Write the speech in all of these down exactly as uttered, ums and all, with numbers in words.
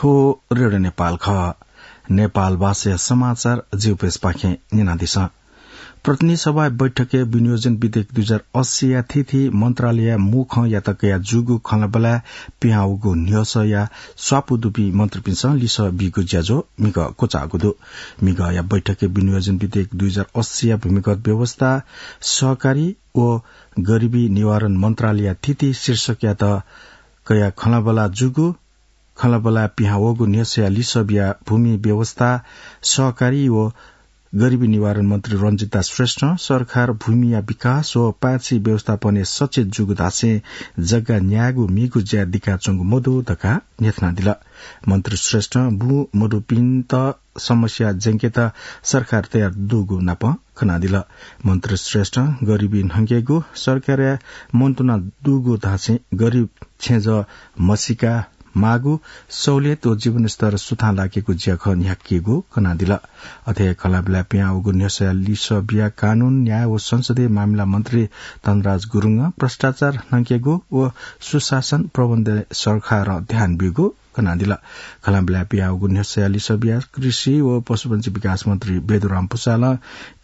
थ्व रेडियो नेपाल खः। नेपाल भाषाया समाचार जिगु पेजपाखें न्यनादिसँ। प्रतिनिधि सभा बैठकय् विनियोजन विधेयक दुई हजार अस्सीया थीथी मन्त्रालयया मू खँयात कयाः जूगु खँल्हाबल्हाय् पिहां वःगु न्ह्यसःया स्वापू दुपिं मन्त्रीपिन्सं लिसः बीगु ज्याझ्वः म्हिगः क्वचाःगु दु। म्हिगःया बैठकय् विनियोजन विधेयक दुई हजार अस्सीया भूमिगत व्यवस्था, सहकारी व गरिबी निवारण मन्त्रालयया थीथी शीर्षकयात कयाः खँल्हाबल्हाय् जूगु खँल्हाबल्हाय् पिहां वःगु न्ह्यसःया लिसः बियाः भूमि व्यवस्था, सहकारी व गरिबी निवारण मन्त्री रञ्जिता श्रेष्ठं सरकार भूमिया विकास व पाय्छि व्यवस्थापनय् सचेत जूगु धासें जग्गा न्यायेगु म्हिगू ज्या दिकाच्वंगु मदु धकाः न्ह्यथनादिल। मन्त्री श्रेष्ठं बूमदुपिन्त समस्या ज्यंकेत सरकार तयार दुगु नापं कनादिल। मन्त्री श्रेष्ठं गरिबी न्हंकेगु, सरकारया मन्तुना दुगु धासें गरिब छेँजः मसीका माःगु, सहुलियत व जीवनस्तर सुथां लाकेगु ज्याखँ न्ह्याकेगु कनादिल। अथे खँल्हाबल्हाय् पिहां वःगु न्ह्यसःया लिसः बियाः कानून, न्याय व संसदीय मामिला मन्त्री धनराज गुरुङं भ्रष्टाचार न्हंकेगु व सुशासन प्रबन्धय् सरकारं ध्यान ब्यूगु कनादिल। खँल्हाबल्हाय् पिहां वःगु न्ह्यसःया लिसः बियाः कृषि व पशुपन्छी विकास मन्त्री बेदुराम भुसालं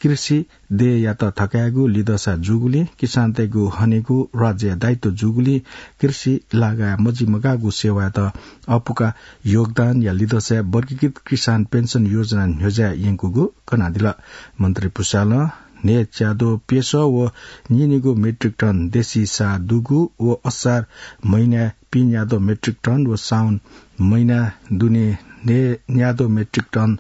कृषि देय्‌यात थकायेगु लिधंसा जूगुलिं, किसानतय्‌गु हनेगु राज्यया दायित्व जूगुलिं कृषि लागाय् मजिमगाःगु सेवायात अःपुका योगदानया लिधंसाय् वर्गीकृत किसान पेन्सन योजना न्ह्यज्याय् यंकूगु कनादिल। मन्त्री भुसालं न्हय् च्याद्वः प्यसः व नीनिगू मेट्रिक टन देशी साः दुगु व असार महिनाय् पीन्याद्वः मेट्रिक टन व साउन महिनाय् दुने न्हय् न्याद्वः मेट्रिक टन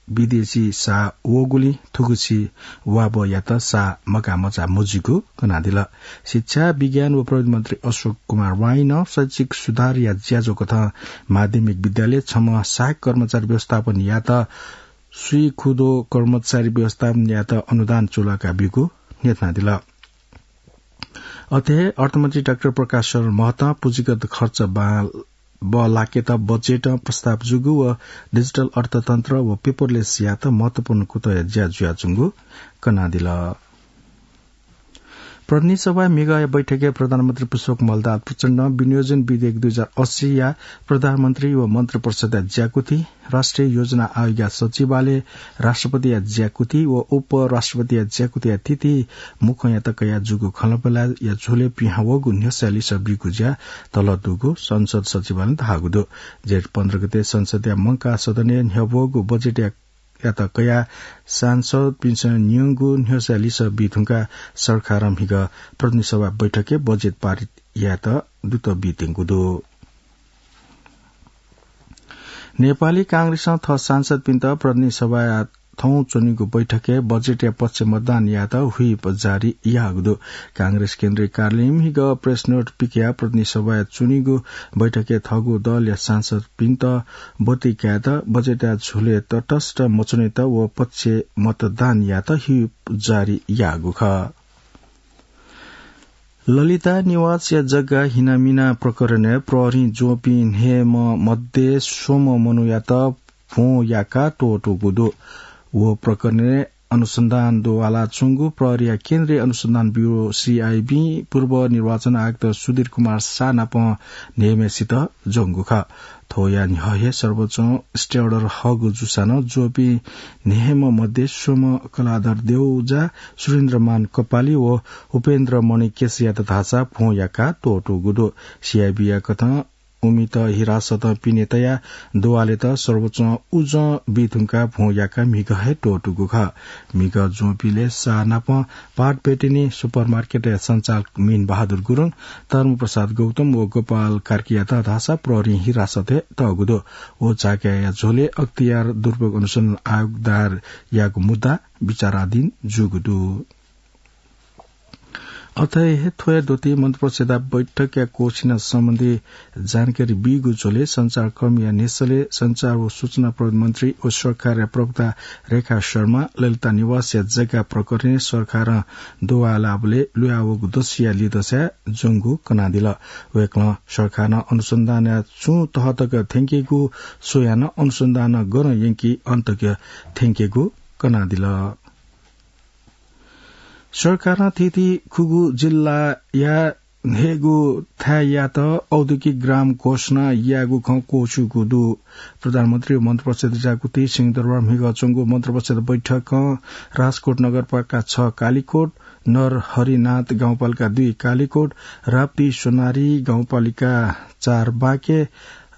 विदेशी साः वःगुलिं थुगुसी वाबःयात साः मगाःमचाः मजुइगु कनादिल। शिक्षा, विज्ञान व प्रविधि मन्त्री अशोक कुमार वाईं नं शैक्षिक सुधारया ज्याझ्वःकथं माध्यमिक विद्यालय छम्ह सहायक कर्मचारी व्यवस्थापन यात स्वीकुदो कर्मचारी व्यवस्थापन यात अनुदान चूलाका ब्यूगु न्ह्यथनादिल। अथे अर्थमन्त्री डाक्टर प्रकाश शरण महतं पुँजीगत खर्च बां बलाकेत बजेटं प्रस्ताव जूगु व डिजिटल अर्थतन्त्र व paperless यात महत्वपूर्ण कुतः ज्या जुयाच्वंगु कनादिल। प्रतिनिधि सभाय् म्हिगःया बैठकय् प्रधानमन्त्री पुष्पकमल दाहाल प्रचण्डं विनियोजन विधेयक दुई हजार अस्सीया प्रधानमन्त्री व मन्त्रिपरिषदया ज्याकुथि, राष्ट्रिय योजना आयोगया सचिवालय, राष्ट्रपतिया ज्याकुथि व उपराष्ट्रपतिया ज्याकुथिया थीथी मू खँयात कयाः जूगु खँल्हाबल्हाया झ्वलय् पिहां वःगु न्ह्यसःया लिसः बीगु ज्या तःधं दुगु संसद सचिवालयं धाःगु दु। जेठ पन्ध्र गते संसदया मंकाः सदनय् न्ह्यब्वःगु बजेटया यात कयाः सांसदपिन्सं न्यंगु न्ह्यसःया लिसः बी धुंकाः सरकारं म्हिगः प्रतिनिधि सभा बैठकय् बजेट पारित यायेत द्रुत बी त्यंगु दु। नेपाली कांग्रेसं थः सांसदपिन्त प्रतिनिधि सभाया थौं च्वनीगु बैठकय् बजेटया पक्षय् मतदान यायेत व्हिप जारी याःगु दु। कांग्रेस केन्द्रीय कार्यालयं म्हिगः प्रेस नोट पिकयाः प्रतिनिधि सभाय् च्वनीगु बैठकय् थःगु दलया सांसदपिन्त ब्वति कायेत, बजेटया झ्वलय् तटस्थ मच्वनेत व पक्षय् मतदान यायेत व्हिप जारी याःगु खः। ललिता निवासया जग्गा हिनामिना प्रकरणय् प्रहरीं ज्वंपिं न्हय्म्ह मध्ये स्वम्ह मनूयात भ्वं याकाः त्वःतूगु दु। व प्रकरणय् अनुसन्धान दुवालाच्वंगु प्रहरीया केन्द्रीय अनुसन्धान ब्यूरो, सीआईबीं पूर्व निर्वाचन आयुक्त सुधीर कुमार शाह नाप न्हय्म्हेसित ज्वंगु खः। थ्वया न्ह्यः हे सर्वोच्चं stay order हःगु जूसां नं ज्वःपिं न्हय्म्ह मध्ये स्वम्ह कलाधर देउजा, सुरेन्द्रमान कपाली व उपेन्द्र मणि केसीयात धाःसा भ्वं याकाः त्वःतूगु दु। सीआईबीया कथं उमित हिरासतं पिने तयाः दुवालेत सर्वोच्चं उजं बी धुंकाः भ्वं याकाः म्हिगः हे त्वःतूगु खः। म्हिगः ज्वंपिलय् शाह नाप पाटबेटेनी सुपरमार्केटया सञ्चालक मीन बहादुर गुरुङ, धर्मप्रसाद गौतम व गोपाल कार्कीयात धाःसा प्रहरीं हिरासतय् तःगु दु। व झाँक्रीया झ्वलय् अख्तियार दुरुपयोग अनुसन्धान आयोग दायर याःगु मुद्दा विचाराधीन जूगु दु। अथे हे थ्वया द्वःति मन्त्रिपरिषदया बैठकया क्वःछिना सम्बन्धी जानकारी बीगु झ्वलय् सञ्चारकर्मीया न्ह्यसःलय् सञ्चार व सूचना प्रविधि मन्त्री व सरकारया प्रवक्ता रेखा शर्मा ललिता निवासया जग्गा प्रकरणय् सरकारं दुवालाबलय् लुयावःगु दसया लिधंसाय् ज्वंगु कनादिल। वय्कलं सरकारं अनुसन्धानया छुं तह तक थ्यंकेगु स्वयाः नं अनुसन्धान गन यंकी अन तक थ्यंकेगु कनादिल। सरकारं थीथी खुगू जिल्लाया न्हय्गू थाय्‌यात औद्योगिक ग्राम घोषणा यायेगु खँ क्वःछिउगु दु। प्रधानमन्त्री व मन्त्रिपरिषद जागुति सिंहदरबार म्हिगः च्वंगु मन्त्रिपरिषद बैठकं राजकोट नगरपालिका छ कालीकोट, नरहरिनाथ गाउँपालिका दुई कालीकोट, राप्ती सोनारी गाउँपालिका चार बाँके,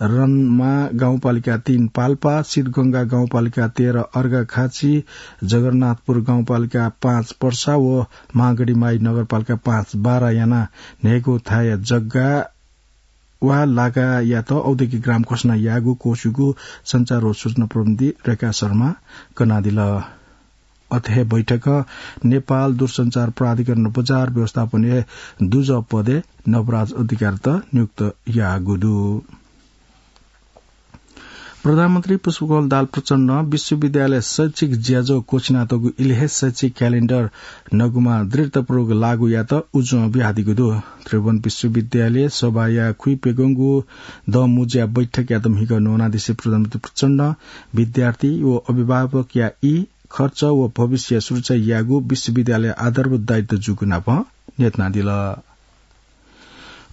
रमा गाउँपालिका तीन पाल्पा, सिद्धगंगा गाउँपालिका तेह्र अर्घाखाँची, जगन्नाथपुर गाउँपालिका पाँच पर्सा व महागढीमाई नगरपालिका पाँच बारा यानाः न्हय्गू थाय् जग्गा वा लागायात औद्योगिक ग्राम घोषणा यायेगु क्वःछिउगु सञ्चार व सूचना प्रविधि रेखा शर्मां कनादिल। अथे हे बैठकं नेपाल दूरसञ्चार प्राधिकरण बजार व्यवस्थापनया दुजः पदय् नवराज अधिकारीत नियुक्त याःगु दु। प्रधानमन्त्री पुष्पकमल दाहाल प्रचण्डं विश्वविद्यालय शैक्षिक ज्याझ्वः क्वःछिनातःगु इलय् हे शैक्षिक क्यालेण्डर नगुमा दृढतापूर्वक लागू यायेत उजं बियादीगु दु। त्रिभुवन विश्वविद्यालय सभाया खुइप्यघंगु दँमुँज्या बैठकयात म्हिगः न्वनादिसे प्रधानमन्त्री प्रचण्डं विद्यार्थी व अभिभावकया ई, खर्च व भविष्य सुरक्षा यायेगु विश्वविद्यालय आधारभूत दायित्व जूगु नापं न्ह्यथनादिल।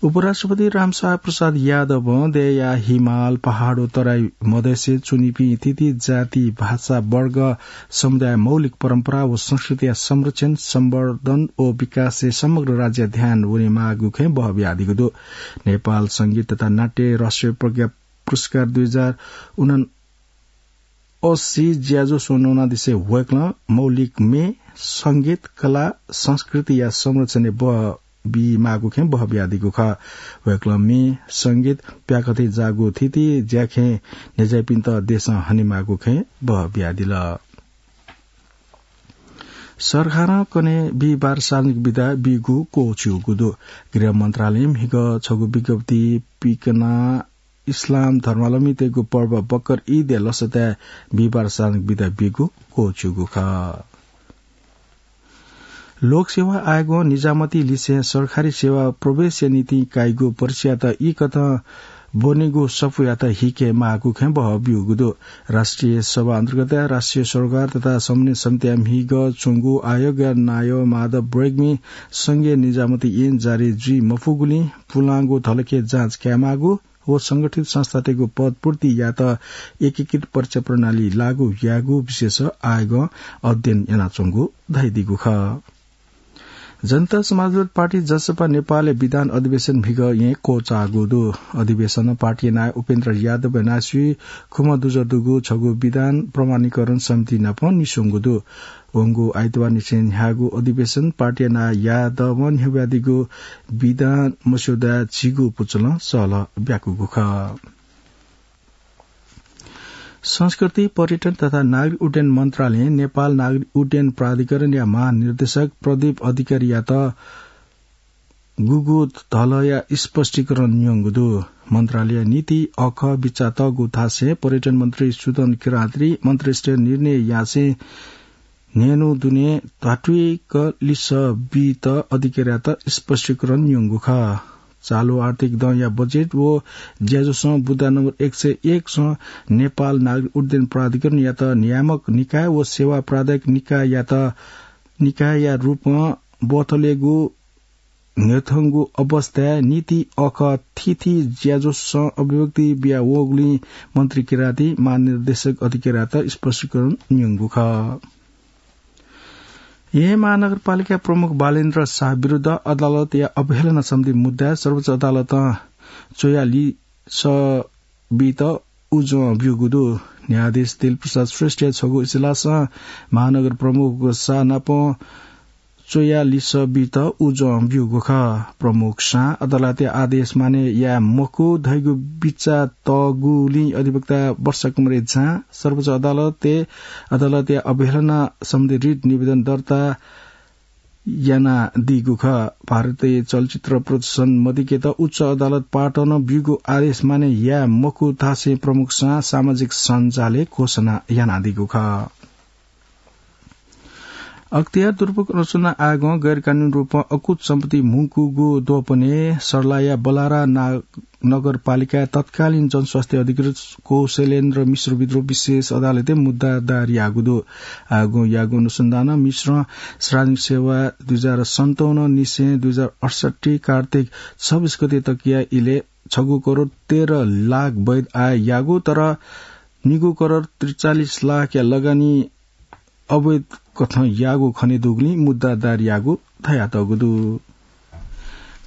उपराष्ट्रपति रामशरण प्रसाद यादवं देय्‌या हिमाल, पहाड व तराई मधेसय् च्वनीपिं थीथी जाति, भाषा, वर्ग, समुदाय, मौलिक परम्परा व संस्कृतिया संरक्षण, सम्वर्धन व विकासय् समग्र राज्यया ध्यान वनेमाःगु खँय् बहः बियादीगु दु। नेपाल संगीत तथा नाट्य राष्ट्रिय प्रज्ञा पुरस्कार दुई हजार उना अस्सी ज्याझ्वः स्वन्हु वनादिसे वय्‌कलं मौलिक म्ये, संगीत, कला, संस्कृतिया संरक्षणय् बहः बीमाःगु खँय् बहः बियादीगु खः। वय्‌कलं म्ये, संगीत, प्याखंथें जाःगु थीथी ज्याखँय् न्ह्यज्याःपिन्त देशं हनेमाःगु खँय् बहः बियादिल। सरकारं कन्हय् बिहिबार सार्वजनिक बिदा बीगु क्वःछिउगु दु। गृह मन्त्रालयं म्हिगः छगू विज्ञप्ति पिकना इस्लाम धर्मावलम्बीतय्‌गु पर्व बकर ईदया लसताय् बिहिबार सार्वजनिक बिदा बीगु क्वःछिउगु खः। लोकसेवा आयोगं निजामती लिसें सरकारी सेवा प्रवेशया निंतिं काइगु परीक्षायात ई कथं ब्वनेगु सफूयात हिकेमाःगु खँय् बहः ब्यूगु दु। राष्ट्रिय सभा अन्तर्गतया राष्ट्रिय सरोकार तथा समन्वय समितिया म्हिगः च्वंगु आयोगया नायः माधव ब्रेग्मी संघीय निजामती ऐन जारी जुइ मफुगुलिं पुलांगु धलखय् जाँच कायेमाःगु व संगठित संस्थातय्‌गु पदपूर्ति यायेत एकीकृत परीक्षा प्रणाली लागू यायेगु विषयस आयोगं अध्ययन यानाच्वंगु धयादीगु खः। जनता समाजवादी पार्टी, जसपा, नेपालया विधान अधिवेशन म्हिगः येँ क्वचाःगु दु। अधिवेशनं पार्टीया नायः उपेन्द्र यादवया नायःसुइ खुम्ह दुजः दुगु छगू विधान प्रमाणीकरण समिति नाप निस्वंगु दु। वंगु आइतबारनिसें न्ह्याःगु अधिवेशन पार्टीया नायः यादवं न्ह्यब्वयादीगु विधान मस्यौदाया झिगू पुचलं सहलह ब्याकूगु खः। संस्कृति, पर्यटन तथा नागरिक उड्डयन मन्त्रालयं नेपाल नागरिक उड्डयन प्राधिकरणया महानिर्देशक प्रदीप अधिकारीयात गुगु धलया स्पष्टीकरण न्यंगु दु। मन्त्रालयया नीति अखः बिचाः तःगु थासय् पर्यटन मन्त्री सुदन किरातरी मन्त्रीस्तरीय निर्णय यासें न्हय्न्हु दुने धात्विक लिसः बीत अधिकारीयात स्पष्टीकरण न्यंगु खः। चालु आर्थिक दँया बजेट व ज्याझ्वलय् बुँदा नम्बर एक सय एक सं नेपाल नागरिक उड्डयन प्राधिकरणयात नियामक निकाय व सेवा प्रदायक निकाययात निकायया रूपं ब्वथलेगु न्ह्यथंगु अवस्थाय् नीति अखः थीथी ज्याझ्वलय् अभिव्यक्ति बिया वःगुलिं मन्त्री किराती महानिर्देशक अधिकारीयात स्पष्टीकरण न्यंगु खः। येँ महानगरपालिका प्रमुख बालेन्द्र शाह विरुद्ध अदालतया अवहेलना सम्बन्धी मुद्दाय् सर्वोच्च अदालतं च्वया लिसः बीत उजं ब्यूगु दु। न्यायाधीश दिलप्रसाद श्रेष्ठया छगू इजलासं महानगर प्रमुख शाह नाप च्वया लिसः बीत उजं ब्यूगु खः। प्रमुख शाहं अदालतया आदेश माने याये मखु धइगु बिचाः तःगुलिं अधिवक्ता वर्षा कुमारी झां सर्वोच्च अदालतय् अदालतया अवहेलना सम्बन्धी रिट निवेदन दर्ता यानादीगु खः। भारतीय चलचित्र प्रदर्शन मदिकेत उच्च अदालत पाटनं ब्यूगु आदेश माने याये मखु धासें प्रमुख शाहं सामाजिक सञ्जालय् घोषणा यानादीगु खः। अख्तियार दुरुपयोग रचना आगं गैरकानूनी रूपं अकुत सम्पत्ति मुंकूगु द्वपने सर्लाया बलारा ना-, नगरपालिकाया तत्कालीन जनस्वास्थ्य अधिकृत कौशलेन्द्र मिश्र विरुद्ध विशेष अदालतय् मुद्दा दायर याःगु दु। आगं याःगु अनुसन्धानं मिश्रं सार्वजनिक सेवा दुई हजार सन्ताउन्न निसें दुई हजार अठसट्ठी कार्तिक छब्बीस गते तकया इलय् छगू करोड तेह्र लाख वैध आय याःगु, तर निगू करोड त्रिचालिस लाखया लगानी अवैध कथं याःगु खनेदुगुलिं मुद्दा दायर याःगु धयातःगु दु।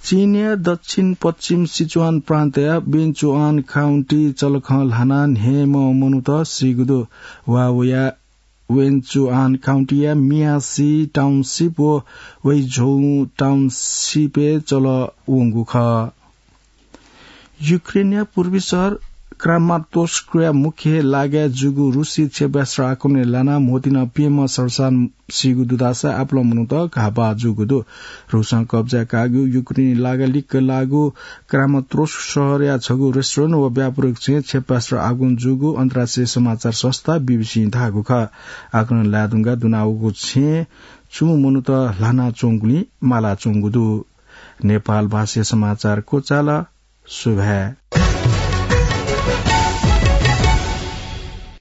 चीनया दक्षिण पश्चिम सिचुवान प्रान्तया वेन्चुआन काउन्टी चलखं ल्हानाः न्हय्म्ह मनूत सीगु दु। ह्वाःवया वेन्चुआन काउन्टीया मियासी टाउनसिप व वैझोउ टाउनसिपय् चलं वंगु खः। युक्रेनया पूर्वी शहर क्रामातोर्स्कया मुख्य लागाय् जूगु रुसी क्षेपणास्त्र आक्रमणय् लानाः म्होतिं प्यम्ह सर्वसाधारण सीगु दुधासा आपालं मनूत घाःपाः जूगु दु। रुसं कब्जा काःगु युक्रेनी लागा लिक्क लाःगु क्रामातोर्स्क शहरया छगू रेस्टुरेन्ट व व्यापारिक छेँय् क्षेपणास्त्र आक्रमण जूगु अन्तर्राष्ट्रिय समाचार संस्था बीबीसीं धाःगु खः। आक्रमण लायेधुंकाः दुनावःगु छेँय् च्वंम्ह मनूत ल्हानाच्वंगुलिं मालाच्वंगु दु। नेपाल भाषाय् समाचार क्वचाल। सुभाय्।